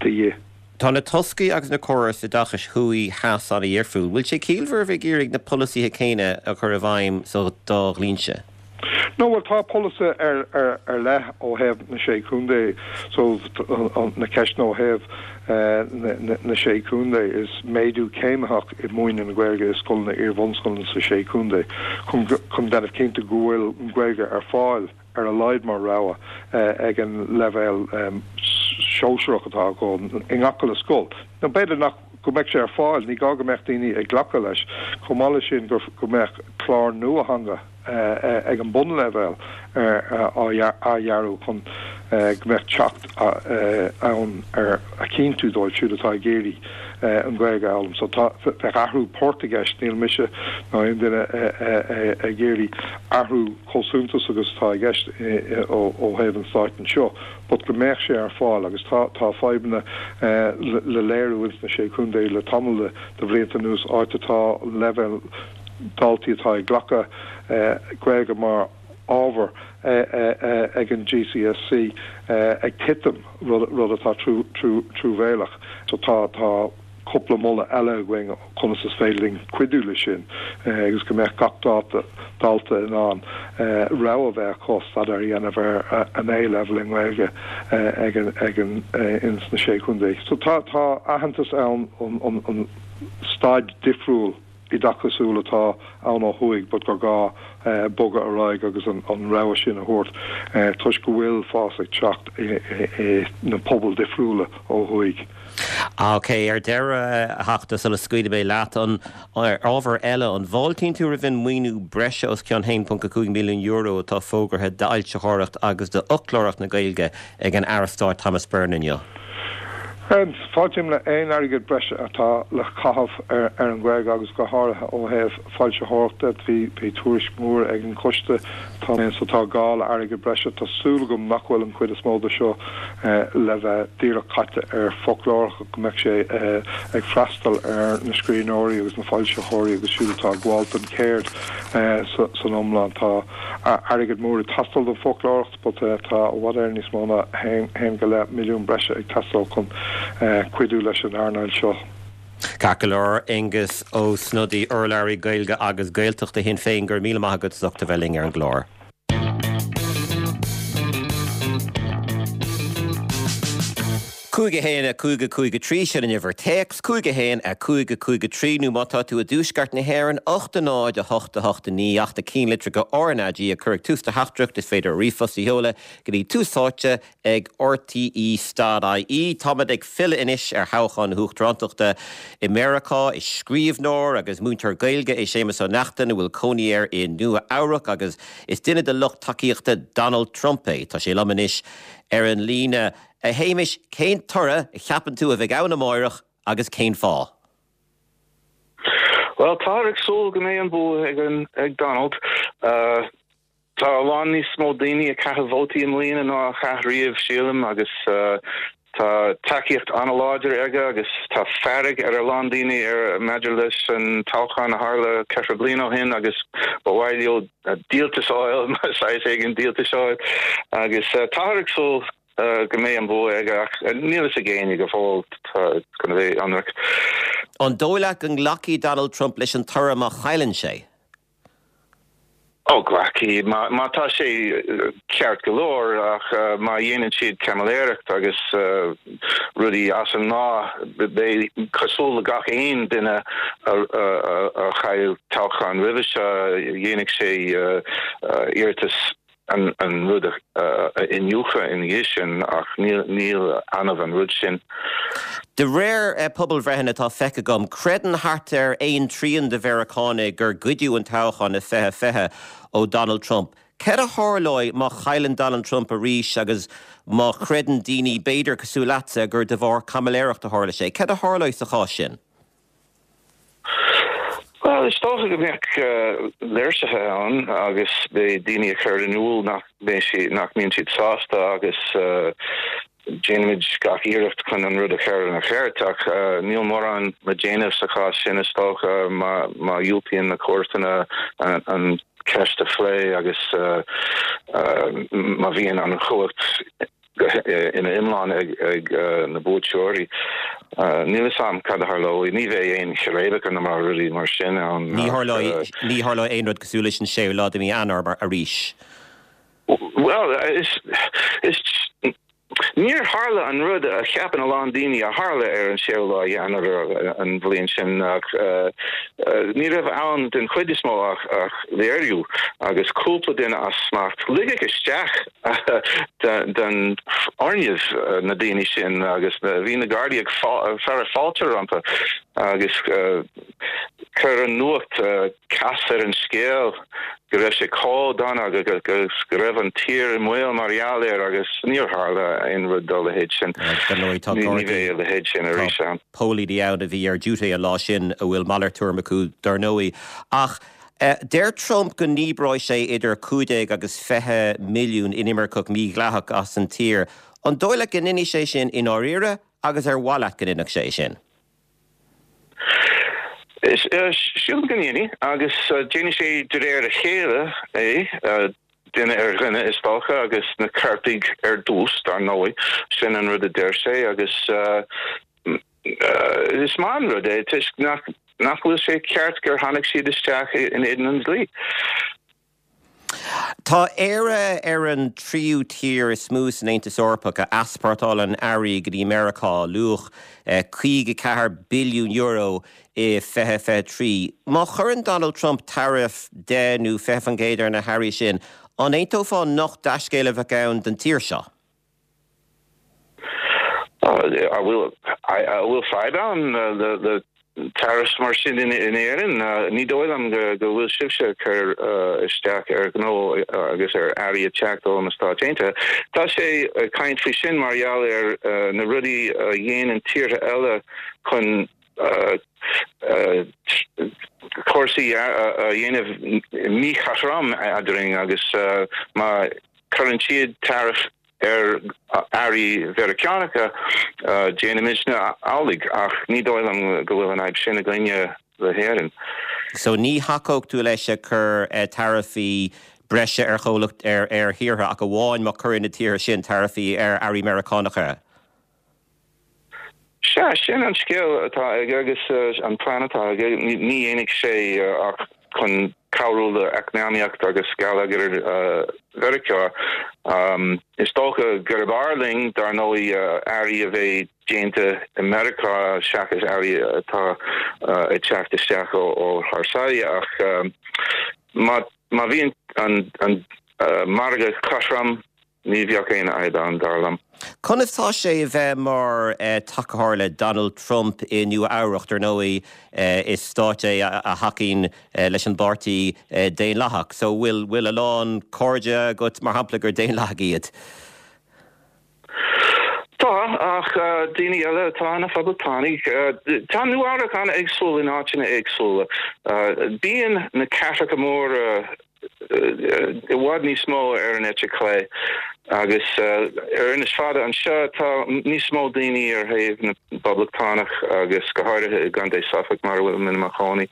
de dhíth. Tá na toscaí agus na córais oideachais thuaidh theas an-difriúil. Bhfuil sé ciallmhar a bheith ag iarraidh na polasaithe céanna a chur i bhfeidhm sa dá dhlínse? No bhuel tá polasaí ar ar ar leith ó thaobh na sé chontae so na ceisteanna ó thaobh na na sé chontae is méadú céimitheach i múineadh na Gaeilge i scoileanna iar-bhunscoileanna sa sé chontae chun chun déanamh cinnte go bhfuil an Ghaeilge ar fáil ar a laghad mar rogha ag an leibhéal sóisearach atá acu i ngach uile scoil. Nó b'fhéidir nach go mbeadh sé ar fáil, ní gá go mbeadh daoine ag glacadh leis. Chomh maith leis sin gur go mbeadh clár nua teanga ag an bunleibhéal á dhearadh chun go mbeadh teacht ann ar a chinntiú dóibh siúd atá ag iarraidh an Ghaeilge a fhoghlaim. So tá bheadh athrú poirt i gceist, níl mise ná aon duine ag iarraidh athrú chomh suntasach agus atá i gceist ó thaobh an stáit anseo, but go mbeadh sé ar fáil agus tá tá fadhbanna le léiriú ins na sé chontae le tamall de bhlianta anuas áit atá leibhéal daltaí atá ag glacadh Gaeilge mar ábhar ag an GCSE ag titim, rud atá truamhéalach. So tá tá cúpla moladh eile againn conas is féidir linn cuidiú leis sin agus go mbeadh gach dalta in ann rogha a bheith acu staidéar a dhéanamh ar an A-level i nGaeilge ag an ag an ins na Sé Chontae. So tá tá aitheantas ann an an staid difriúil oideachasúil atá ann ó thuaidh but gur gá bogadh ar aghaidh agus an an rogha sin a thabhairt toisc go bhfuil fás ag teacht i na pobail difriúla ó thuaidh. Ok, ar deireadh a Theachta sula scaoilfidh mé leat an ábhar eile an bhfáiltíonn tú roimh an maoiniú breise os cionn haon ponc a cúig milliún euro atá fógartha d'fhoilsitheoireacht agus d'fhoclóireacht na Gaeilge ag an Aire Stáit Thomas Byrne inniu? Fáiltím le aon airgead breise atá le caitheamh ar ar an Ghaeilge agus go háirithe ó thaobh foilsitheoireachta. Bhí bhí tuairisc mór ag an choiste tá so tá gá le airgead breise. Tá súil agam nach bhfuil an chuid is mó de seo le bheith díreach caite ar foclóireacht go mbeidh sé ag freastal ar na scríbhneoirí agus na foilsitheoirí agus siúd atá ag gabháil don cheird san iomlán. Tá airgead mór ag teastáil don foclóireacht but tá i bhfad Éireann níos mó ná haon go leith milliún breise ag teastáil chun cuidiú leis an earnáil seo. Ceart go leor, Aengus Ó Snodaigh, urlabhraí Gaeilge agus Gaeltachta Shinn Féin, go raibh míle maith agat as ucht a bheith linn ar an gclár. Cúig a haon a cúig a cúig a trí, sin an uimhir téacs, cúig a haon a cúig a cúig a trí, nó má tá tú i dtuaisceart na hÉireann, ocht a náid a hocht a hocht a naoi, ach do ceannlitreacha RnaG a chur ag tús do theachtaireacht, is féidir ríomhphost a sheoladh go dtí Tús Áite ag RTÉ dot IE. Táimid ag filleadh anois ar thoghchán na huachtarántachta i Meiriceá. Is scríbhneoir agus múinteoir Gaeilge é Séamus Ó Neachtain a bhfuil cónaí air i Nua Eabhrac agus is duine de lucht tacaíochta Donald Trump é. Tá sé liom anois ar an líne. A Shéamais, cén toradh a cheapann tú a bheidh ann amáireach agus cén fáth? Bhuel, táthar ag súil go mbeidh an bua ag an ag Donald. Tá a lán níos mó daoine ag caitheamh vótaí i mbliana ná a chaith riamh, sílim, agus tá tacaíocht an-láidir aige agus tá fearg ar a lán daoine ar maidir leis an toghchán a tharla ceithre bliana ó shin agus ba mhaith leo díoltas a fháil, saghas éigin díoltais a fháil agus táthar ag súil go mbeidh an bua aige ach níl a fhios ag éinne go fóill, tá chun a bheith ionraic. An dóigh leat go nglacfaidh Donald Trump leis an toradh má chailleann sé? Ó, glacfaidh, má tá sé ceart go leor, ach má dhéanann siad caimiléireacht agus rudaí as an ngnáth, beidh cosúil le gach aon duine a chaill toghchán roimhe seo, dhéanfaidh sé iarratas an rud a iniúchadh ina dhiaidh sin, ach níl annamh an rud sin. De réir pobalbhreitheanna atá feicthe agam, creideann thart ar aon trian de Mheiriceánaigh gur goideadh an toghchán i fiche fiche ó Donald Trump. Céard a tharlóidh má chailleann Donald Trump arís agus má chreideann daoine, b'fhéidir cosúil leatsa, gur de bharr caimiléireacht a tharla sé? Céard a tharlóidh sa chás sin? Bhuel, is dócha go mbeadh léirsithe ann agus beidh daoine ag cur in iúl nach mbeidh siad, nach mbíonn siad sásta agus déanfaimid gach iarracht chun an rud a chur ina cheart ach níl mórán le déanamh sa chás sin is dócha má má dhiúltaíonn na cúirteanna an cheist a phlé agus má bhíonn an chumhacht ina iomlán ag na buaiteoirí. Níl a fhios a'm cad a tharlóidh. Ní bheidh aon chiréibeacha ná rudaí mar sin ann. Ní tharlóidh, ní tharlóidh aon rud cosúil leis an séú lá de mhí Eanáir mar arís. Bhuel, is, is, níor tharla an rud a cheapann a lán daoine a tharla ar an séú lá Eanáir an bhliain sin ach ní raibh ann den chuid is mó ach, ach léiriú agus cúpla duine as smacht. Ligeadh isteach den fhoirgneamh na daoine sin agus bhí na Gardaí ag fearadh fáilte rompu agus chuir an nuacht cos ar an scéal go raibh sé chomh dona agus go raibh an tír i mbaol mar gheall air agus níor tharla aon rud dá leithéid sin. Ní bheidh a leithéid sin arís ann. Póilíní ann a bhí ar duty an lá sin a bhfuil malairt tuairim acu dar ndóigh. Ach deir Trump go ndíbreoidh sé idir cúig déag agus fiche milliún inimirceach mídhleathach as an tír. An dóigh leat go ndéanfaidh sé sin i ndáiríre agus ar mhaith leat go ndéanfadh sé sin? Sílim go ndéanfaidh agus déanfaidh sé de réir a chéile é, duine ar dhuine is dócha agus na coirpigh ar dtús dar ndóigh. Sin an rud a deir sé agus is maith an rud é toisc nach nach bhfuil sé ceart gur tháinig siad isteach in éadan an dlí. Tá Éire ar an tríú tír is mó san Aontas Eorpach a easpórtálann earraí go dtí Meiriceá luach caoga ceathair billiún euro i fiche fiche trí. Má chuireann Donald Trump taraif deich nó fiche faoin gcéad ar na hearraí sin, an aontófá nach dea-scéal a bheadh ann don tír seo? An bhfuil bhfuil fadhb ann le tariffs mar sin in Éirinn ní dóigh liom go bhfuil sibhse ag cur isteach ar ghnó agus ar earraí ag teacht ó na Stáit Aontaithe. Tá sé ag caint faoi sin mar gheall ar na rudaí a dhéanann tíortha eile chun cúrsaí a dhéanamh míchothrom eadrainn agus má chuireann siad tariff ar earraí Mheiriceánacha déanaimidne amhlaidh ach ní dóigh liom go bhfuil an fhadhb sin againne le hÉirinn. So ní thacódh tú leis ag cur taraifí breise ar chomhlacht ar ar thíortha ach amháin má chuireann na tíortha sin taraifí ar earraí Meiriceánacha. Sea, sin an scéal atá aige agus an plean atá aige. Ní dhéanfaidh sé ach chun cabhrú le eacnamaíocht agus geilleagar Mheiriceá. Is dócha gurb fhearr linn dar ndóigh earraí a bheith déanta i Meiriceá seachas earraí atá ag teacht isteach ó thar sáile ach má má bhíonn an an margadh cothrom ní bheadh aon fhadhb ann, dar liom. Conas tá sé a bheith mar tacaitheoir le Donald Trump i Nua Eabhrac, dar ndóigh is stát é a thacaíonn leis an bpáirtí Daonlathach, so bhfuil bhfuil a lán cairde agat mar shampla gur Daonlathaigh iad? Tá, ach daoine eile atá ina phoblachtánaigh. Tá Nua Eabhrac an-éagsúil in áiteanna éagsúla. Bíonn na cathracha móra i bhfad níos mó ar an eite chlé agus ar Inis Fada anseo tá níos mó daoine ar thaobh na bPoblachtánach agus go háirithe i gContae Suffolk mar a bhfuil mé i mo chónaí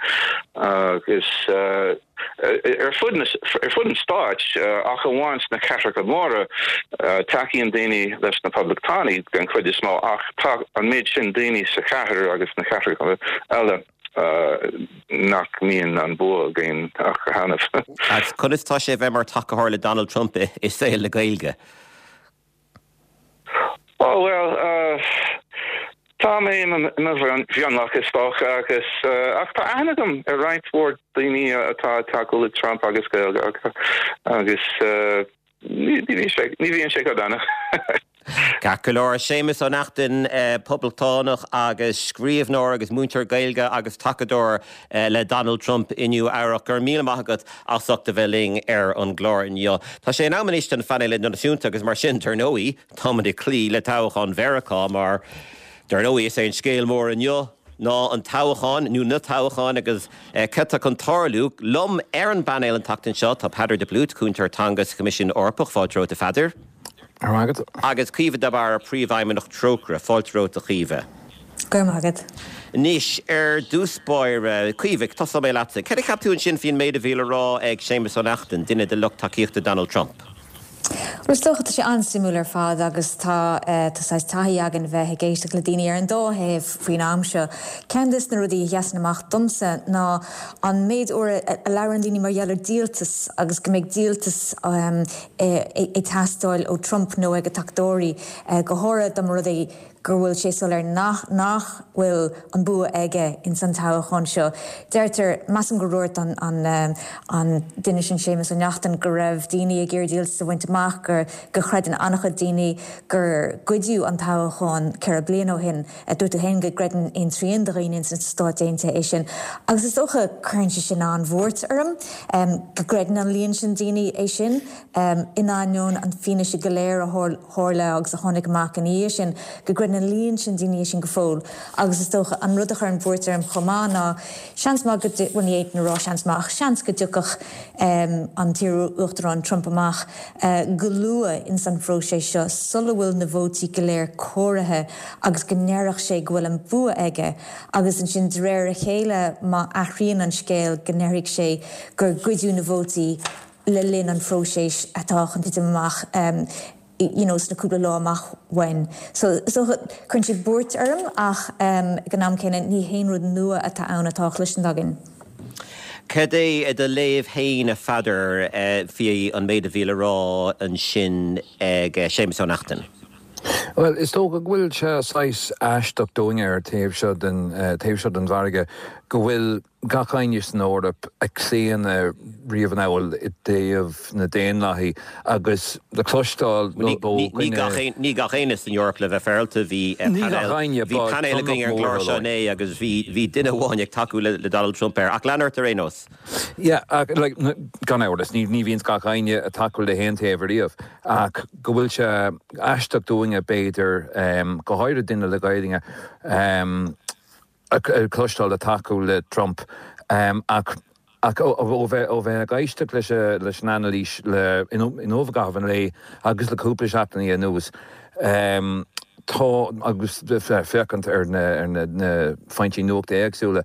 agus ar fud ar fud an stáit ach amháin sna cathracha móra tacaíonn daoine leis na Poblachtánaigh den chuid is mó ach tá an méid sin daoine sa chathair agus sna cathracha eile nach mbíonn an bua againn ach go hannamh. Agus conas tá sé bheith mar tacaitheoir le Donald Trump i saol na Gaeilge? Oh well, uh, tá mé i mo mhionlach is dócha agus uh, ach tá aithne agam ar roinnt mhór daoine atá ag tacú le Trump agus Gaeilge agus uh, ní bhíonn sé go dona. Ceart go leor Séamus Ó Neachtain poblachtánach agus scríbhneoir agus múinteoir Gaeilge agus tacadóir le Donald Trump i Nua Eabhrac go raibh míle maith agat as ucht a bheith linn ar an gclár inniu. Tá sé in am anois don phainéal idirnáisiúnta agus mar sin dar ndóigh táimid ag cloí le toghchán Mheiriceá mar dar ndóigh is é an scéal mór inniu ná an toghchán nó na toghcháin agus cad tá chun tarlú liom ar an bpainéal an tseachtain seo tá Peadar de Blút cúntóir teanga sa Choimisiún Eorpach fáilte romhat a Pheadair. Agus Caoimhe de Barra príomhfheidhmeannach Trócaire fáilte romhat a Chaoimhe. Go raibh maith agat. Anois ar dtús báire Caoimhe tosóidh mé leatsa. Cad a cheap tú ansin faoin méid a bhí le rá ag Séamus Ó Neachtain, duine de lucht tacaíochta Donald Trump? Well is dócha tá sé an-suimiúil ar fad agus tá tá saghas taithí againn bheith ag éisteacht le daoine ar an dá thaobh faoin am seo. Ceann de na rudaí a sheasann amach domsa ná an méid uair a labhrann daoine mar gheall ar díoltas agus go mbeidh díoltas ag teastáil ó Trump nó ag a tacadóirí go háirithe dá mba rud é go bhfuil sé soiléir nach nach bhfuil an bua aige ins an toghchán seo. Deirtear, measaim gur dhúirt an an an duine sin Séamus Ó Neachtain go raibh daoine ag iarraidh díoltas a bhaint amach gur go chreideann an-chuid daoine gur goideadh an toghchán ceithre bliana ó shin. Dúirt tú féin go gcreideann aon trian de dhaoine ins na Stáit Aontaithe é sin. Agus is dócha cuireann sé sin an-bhuairt orm go gcreideann an líon sin daoine é sin in ainneoin an fianaise go léir a tharla agus a tháinig amach ina dhiaidh sin go gcreideann an líon sin daoine é sin go fóill. Agus is dócha an rud a chuireann buairt orm chomh maith ná seans maith go bhuel ní fhéadfainn a rá seans maith ach seans go dtiocfadh an t-iar-uachtarán Trump amach go luath ins an phróiseas seo sula bhfuil na vótaí go léir comhairthe agus go ndéarfadh sé go bhfuil an bua aige agus ansin de réir a chéile má athraíonn an scéal go ndéarfaidh sé gur goideadh na vótaí le linn an phróisis atá chun titim amach you know, sna cúpla lá amach uainn. So so cuireann sé buairt orm ach um, ag an am céanna ní haon rud nua atá ann atá cloiste againn. Cad é do léamh féin a Pheadair uh, faoi an méid a bhí le rá ansin ag uh, Séamus Ó Neachtain. Well, is dócha go bhfuil sé saghas aisteach dúinne ar taobh seo den uh, taobh seo den bhfarraige go bhfuil gach éinne san Eoraip ag claonadh riamh anall i dtaobh na Daonlathaí agus le cloisteáil Ní gach éinne san Eoraip le bheith féaráilte bhí bhí painéal againn ar an gclár seo inné agus bhí bhí duine amháin ag tacú le le Donald Trump air ach lean ort ar aon nós. Yeah, like, gan amhras ní ní bhíonn gach éinne ag tacú le haon taobh riamh ach go bhfuil sé aisteach dúinne b'fhéidir um, go háirithe duine le Gaeilge um, cloisteáil ag tacú le Trump um, ach ach ó bheith ó bheith ag éisteacht leis leis an anailís le inniu i gcaitheamh an lae agus le cúpla seachtainí anuas. Um, tá agus féachaint ar na, ar na, na foinsí nuachta éagsúla.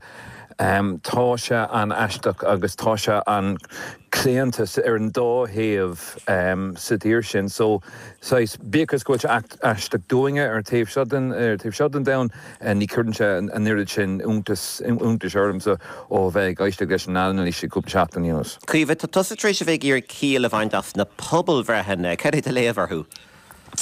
Um, tá sé an-aisteach agus tá sé an-chlaonta ar an dá thaobh um, sa tír sin, so saghas bíodh go bhfuil sé aisteach dúinne ar taobh seo den ar taobh seo den domhan uh, ní chuireann sé an oiread sin iontas iontais ormsa ó bheith ag éisteacht leis an anailís cúpla seachtain anuas. Caoimhe tá tusa tar éis a bheith ag iarraidh ciall a bhaint as na pobalbhreitheanna, cad é do léamh orthu.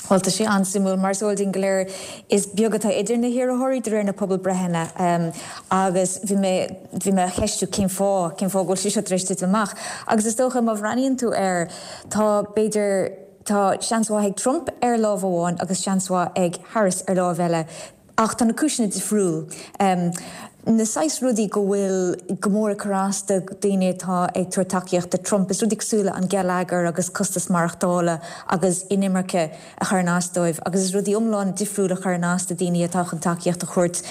Well tá sé an-suimiúil mar is eol dúinn go léir is beag atá idir na hiarrthóirí de réir na pobalbhreitheanna um, agus bhí mé bhí mé cheistiú cén fáth cén fáth go bhfuil sé seo tar éis titim amach. Agus is dócha má bhreathnaíonn tú air tá b'fhéidir tá seans mhaith ag Trump ar lámh amháin agus seans mhaith ag Harris ar lámh eile. Ach tá na cúiseanna difriúil. Um, na saghas rudaí go bhfuil go mór ag cur as do daoine atá ag tabhairt tacaíocht do Trump is rudaí cosúil le an geilleagar agus costas maireachtála agus inimirce a chuireann as dóibh, agus is rudaí iomlán difriúil a chuireann as do daoine atá chun tacaíocht a thabhairt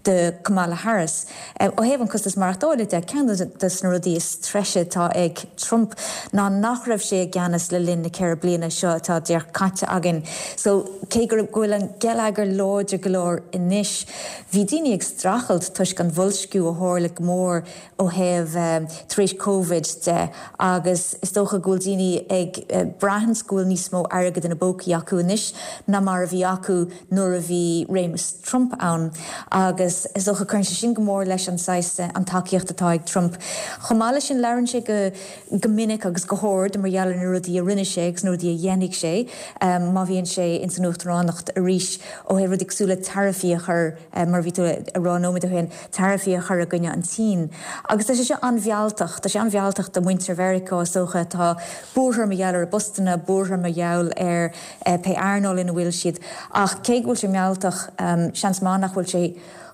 do Kamala Harris. Um, ó thaobh an costas maireachtála de ceann de na rudaí is treise atá ag Trump ná nach raibh sé i gceannas le linn na ceithre bliana seo atá díreach caite againn. So cé go bhfuil an geilleagar láidir go leor anois, bhí daoine ag streachailt toisc an bhoilsciú a tharla go mór ó thaobh um, tar éis COVID de agus is dócha go bhfuil daoine ag uh, braithint go bhfuil níos mó airgead ina bpócaí acu anois ná mar a bhí acu nuair a bhí réimeas Trump ann agus is dócha cuireann sé sin go mór leis an saghas an tacaíocht atá ag Trump. Chomh maith leis sin labhraíonn sé go go minic agus go hard mar gheall ar na rudaí a rinne sé agus na rudaí a dhéanfaidh sé um, má bhíonn sé in san uachtaránacht arís ó thaobh rudaí cosúil le taraifí a chur um, mar bhí tú ag rá nóiméad ó shin taraifí a chur i gcoinne an tSín. Agus tá sé seo an-mhealltach, tá sé an-mhealltach do mhuintir Mheiriceá is dócha atá buartha mar gheall ar a bpostanna buartha mar gheall ar eh, pé earnáil ina bhfuil siad. Ach cé go bhfuil sé mealltach um, seans maith nach bhfuil sé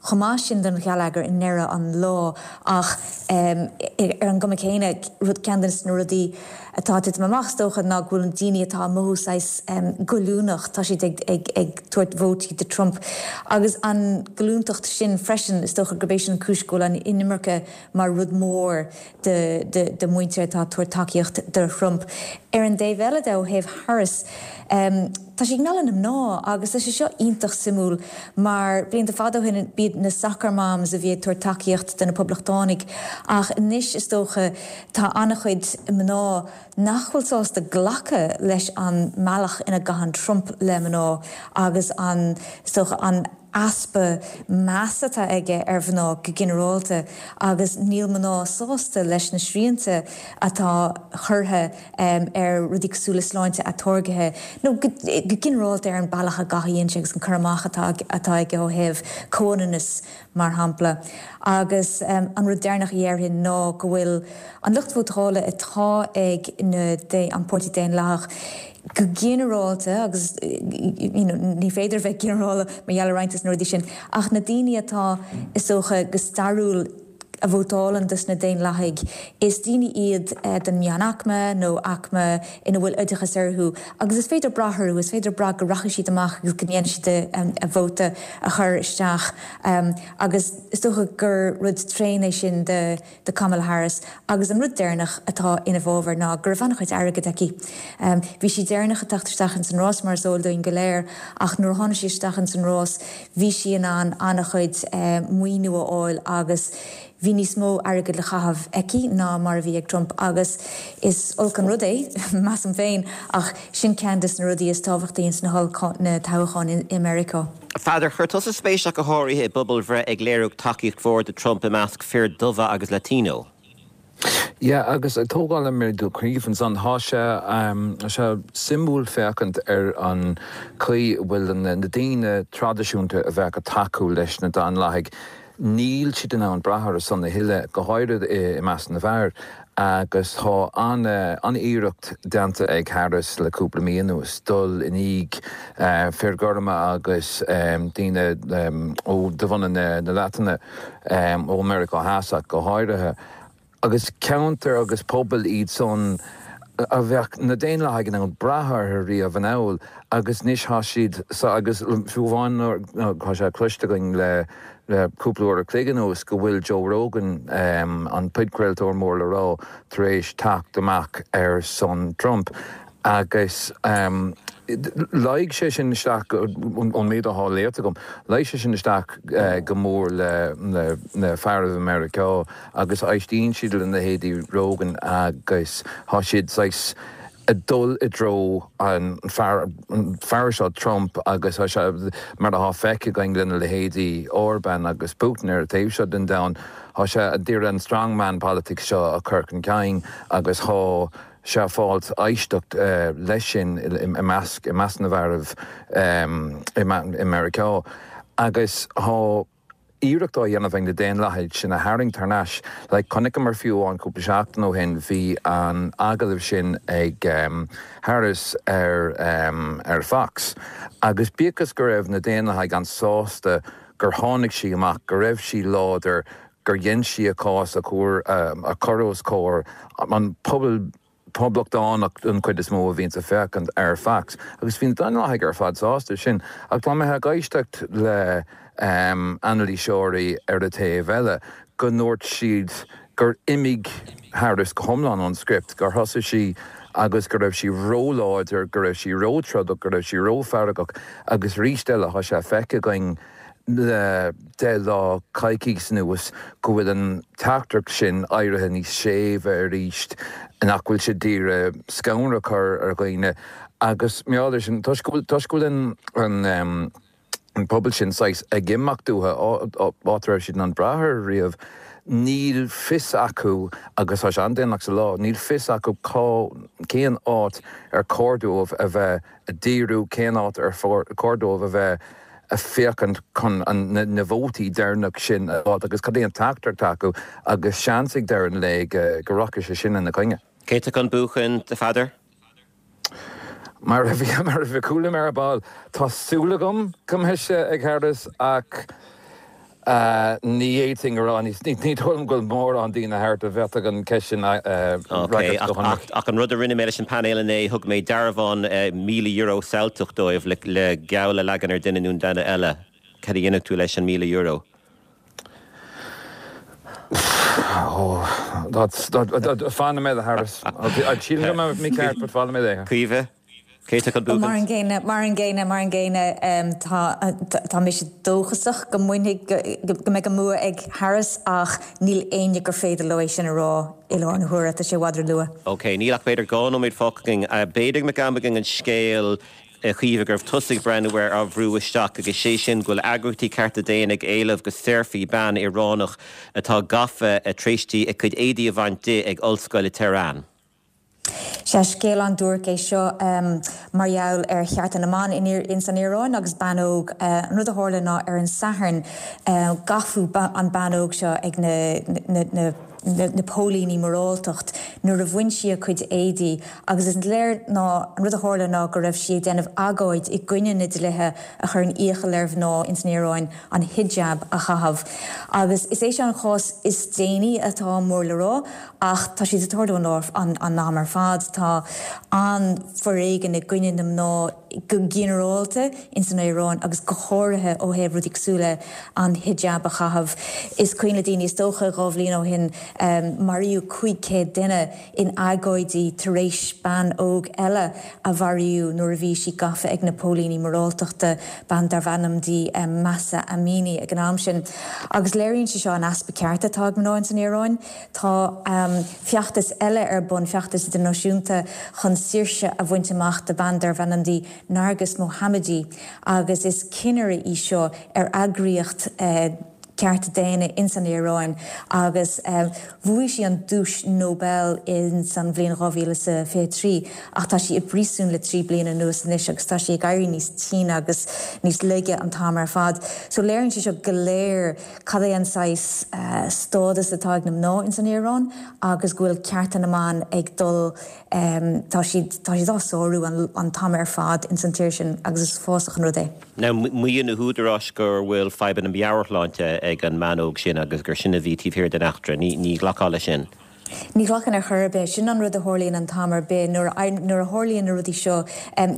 chomh maith sin don gheilleagar i ndeireadh an lae ach um, ar an gcuma céanna rud ceann de na rudaí atá ag titim amach is dócha ná go bhfuil an daoine atá mothú saghas um, goilliúnach tá siad ag, ag, ag tabhairt vótaí do Trump. Agus an goilliúntacht sin freisin is dócha gurb é sin an chúis go bhfuil an inimirce mar rud mór de, de, de mhuintir atá tabhairt tacaíocht do Trump. Ar an dtaobh eile de ó thaobh Harris, um, Tá sí ag mealladh na mná agus tá sé seo iontach suimiúil mar blianta fada ó shin b'iad na soccer moms a bhí ag tabhairt tacaíocht do na poblachtánaigh ach anois is dócha tá an-chuid mná nach bhfuil sásta glacadh leis an mbealach ina gcaitheann Trump le mná agus an is dócha an easpa measa atá aige ar mhná go ginearálta agus níl mná sásta leis na srianta atá curtha um, ar rudaí cosúil le sláinte atáirgthe nó go ginearálta ar an bealach a gcaitheann sé agus an cur amach atá atá aige ó thaobh comhionannas mar shampla. Agus um, an rud deireanach a dhéarfainn ná go bhfuil an lucht vótála atá ag na de, an Páirtí Daonlathach go ginearálta agus you know, ní féidir bheith ginearálta mar gheall ar roinnt de na rudaí sin ach na daoine atá is dócha go stairiúil a vótálann dos na Daonlathaigh is daoine iad eh, den meánaicme nó aicme ina bhfuil oideachas orthu agus is féidir brath orthu is féidir brath go rachaidh siad amach agus go ndéanfaidh siad um, a vóta a chur isteach um, agus is dócha gur rud tréan é sin de, de Kamala Harris agus an rud deireanach atá ina bhfabhar ná go raibh an-chuid airgid aici. Um, bhí sí deireanach ag teacht isteach in san rás mar is eol dúinn go léir ach nuair a tháinig sí isteach in san rás bhí sí in ann an-chuid um, maoiniú a fháil agus bhí níos mó airgid le caitheamh aici ná mar a bhí ag Trump agus is olc an rud é, measaim féin, ach sin ceann des na rudaí is tábhachtaí ins na na toghcháin i Meiriceá. A Pheadair, chuir tusa spéis ach go háirithe i bpobalbhreith ag léiriú tacaíocht mhór do Trump i measc fir dubha agus Latino. Yeah, agus ag tógáil ar mar a dúirt Caoimhe ansan, tá sé tá sé suimiúil féachaint ar an chaoi a bhfuil na daoine traidisiúnta a bheadh ag tacú leis na Daonlathaigh, níl siad in ann brath orthu san a thuilleadh, go háirid i measc na bhfear, agus tá an-iarracht déanta ag Harris le cúpla mí anuas dul i ndiaidh fir gorma agus daoine ó de bhunadh na Laidine, ó Meiriceá Theas ach go háirithe. Agus ceantair agus pobail iad san a bheadh na Daonlathaigh in ann brath orthu riamh anall agus anois tá siad sa agus fiú amháin tá sé cloiste againn le le cúpla uair a chloig anuas go bhfuil Joe Rogan, an podchraoltóir mór le rá, tar éis teacht amach ar son Trump agus luigh sé sin isteach, ón méid atá léite agam, luigh sé sin isteach go mór le na fearaibh i Meiriceá agus éistíonn siad le leithéidí Rogan agus tá siad saghas ag dul i dtreo an fear an fear seo Trump agus tá sé mar atá feicthe againn lena leithéidí Orban agus Putin ar an taobh seo den domhan, tá sé ag iarraidh an strongman politics seo a chur chun cinn agus tá sé ag fáilt éisteacht leis sin i measc i measc na bhfearaibh i Meiriceá agus tá iarracht á dhéanamh ag na Daonlathaigh sin a tharraingt thar n-ais. Like chonaiceamar fiú amháin cúpla seachtain ó shin bhí an agallamh sin ag Harris ar ar Fox agus bíodh is go raibh na Daonlathaigh an-sásta gur tháinig sí amach, go raibh sí láidir, gur dhein sí a cás a chur a chur os comhair an pobal poblachtánach den chuid is mó a bhíonns ag féachaint ar Fox agus bhí na Daonlathaigh ar fad sásta sin ach tá mé ag éisteacht le anailíseoirí ar an taobh eile go ndúirt siad gur imigh Harris go hiomlán ón script, gur thosaigh sí agus go raibh sí róláidir, go raibh sí róthrodach, go raibh sí rófheargach agus arís eile tá sé feicthe againn le deich lá, coicís anuas go bhfuil an teachtaireacht sin éirithe níos séimhe arís, nach bhfuil sé d'iarraidh scanradh a chur ar dhaoine agus mar gheall air sin, toisc go bhfuil, toisc go bhfuil an, an pobal sin saghas ag imeacht uathu, áit a raibh siad in ann brath air riamh, níl fios acu, agus tá sé an-déanach sa lá, níl fios acu cá, cén áit ar chóir dóibh a bheith ag díriú, cén áit ar chóir dóibh a bheith ag féachaint chun na vótaí deireanach sin a fháil agus cad é an teachtaireacht acu agus seans ag deireadh an lae go rachaidh sé sin ina gcoinne. Cé atá chun buachan, a Pheadair? Mar a bhí, mar a chuala mé ar ball, tá súil agam go mbeidh sé ag Harris ach ní fhéadfainn a rá, ní dóigh liom go bhfuil mórán daoine thart a bhféadfadh an cheist sin a fhreagairt go hionraic. Ach an rud a rinne mé leis an bpainéal inné, thug mé dearbhán míle euro Ceilteach dóibh le geall a leagan ar duine nó duine eile. Cad a dhéanfadh tú leis an míle euro? Fanfaidh mé le Harris. Sílim go mbeidh mé ceart, but fanfaidh mé léi. Caoimhe? Cé atá chun buachaint? Mar an gcéanna, mar an gcéanna, mar an gcéanna, tá, tá mise dóchasach go mbainfidh, go mbeidh an bua ag Harris ach níl éinne gur féidir leo é sin a rá i láthair na huaire, tá sé i bhfad ró-luath. Ok, níl ach b'fhéidir dhá nóiméad fágtha againn. B'fhéidir go mbeadh am againn an scéal a Chaoimhe go raibh tusa ag breathnú air á bhrú isteach agus sé sin go bhfuil eagraíochtaí cearta daonna ag éileamh go saorfaí bean Ioránach atá gafa tar éis di a cuid éadaí a bhaint di ag ollscoil i Tehran. Sea, scéal an-duairc é seo mar gheall ar chearta na mban ins an Iaráin agus bean óg. An rud a tharla ná ar an Satharn gabhadh an bean óg seo ag na na póilíní moráltacht nuair a bhain sí a cuid éadaí agus is léir ná an rud a tharla ná go raibh sí ag déanamh agóid i gcoinne na dlíthe a chuireann iachall ar mhná ins an Iaráin an hijab a chaitheamh. Agus is é seo an chás is déanaí atá mór le rá Ach tá siad ag tarlú an am ar fad. Tá an-fhoréigean i gcoinne na mná go ginearálta ins an Iaráin agus go háirithe ó thaobh rudaí cosúil le an hijab a chaitheamh. Is cuimhin le daoine is dócha dhá bhliain ó shin maraíodh cúig chéad duine in agóidí tar éis bean óg eile a mharaíodh nuair a bhí sí gafa ag na póilíní moráltachta, bean darbh ainm di Mahsa Amini ag an am sin. Agus léiríonn sé seo an easpa cearta atá ag mná ins an Iaráin. Tá feachtas eile ar bun, feachtas idirnáisiúnta chun saoirse a bhaint amach do bhean darbh ainm di Narges Mohammadi agus is cinnire í seo ar eagraíocht cearta daonna ins an Iaráin agus bhuaigh sí an duais Nobel ins an bhliain dhá mhíle is a fiche trí ach tá sí i bpríosún le trí bliana anuas anois agus tá sí ag éirí níos tine agus níos laige an t-am ar fad. So léiríonn sé seo go léir cad é an saghas stádas atá ag na mná ins an Iaráin agus go bhfuil cearta na mban ag dul tá siad tá siad á sárú an an t-am ar fad ins an tír sin agus is uafásach an rud é. Now maíonn na húdaráis go bhfuil fadhbanna meabhairshláinte ag an mbean óg sin agus gur sin a bhí taobh thiar den eachtra. Ní ní ghlacfá leis sin. Ní ghlacaim ar chor ar bith. Sin an rud a tharlaíonn an t-am ar bith nuair a nuair a tharlaíonn na rudaí seo.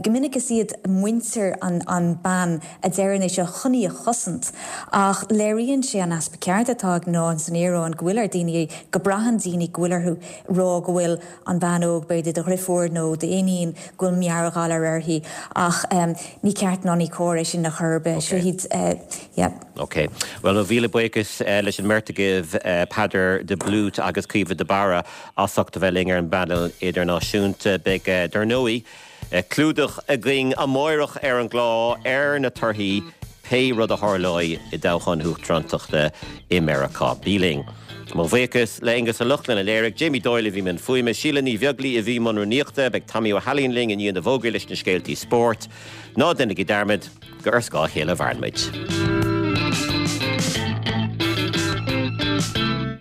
Go minic is iad muintir an an bean a deireann é seo chun í a chosaint. Ach léiríonn sé an easpa cearta atá ag mná ins an Iaráin go bhfuil ar daoine go braitheann daoine go bhfuil orthu rá go bhfuil an bhean óg, b'fhéidir do dhriofúr nó d'iníon, go bhfuil meabhairghalar uirthi. Ach ní ceart ná ní cóir é sin ar chor ar bith. Seo iad, yeah. Ok. Bhuel, mo mhíle buíochas leis an mbeirt agaibh, Peadar de Blút agus Caoimhe de Barra, as ucht a bheith linn ar an bpainéal idirnáisiúnta. Beidh, dar ndóigh, clúdach againn amárach ar an gclár ar na torthaí, pé rud a tharlóidh i dtoghchán na huachtarántachta i Meiriceá. Bí linn. Mo bhuíochas le Aonghus Ó Lochlainn a léirigh, Jamie Doyle a bhí i mbun fuaime, Síle Ní Bheaglaoí a bhí i mbun rúnaíochta, beidh Tommy Ó hAilín linn i ndiaidh na bhfógraí leis na scéaltaí spóirt. Ná déanaigí dearmad gur ar scáth a chéile a mhaireann muid.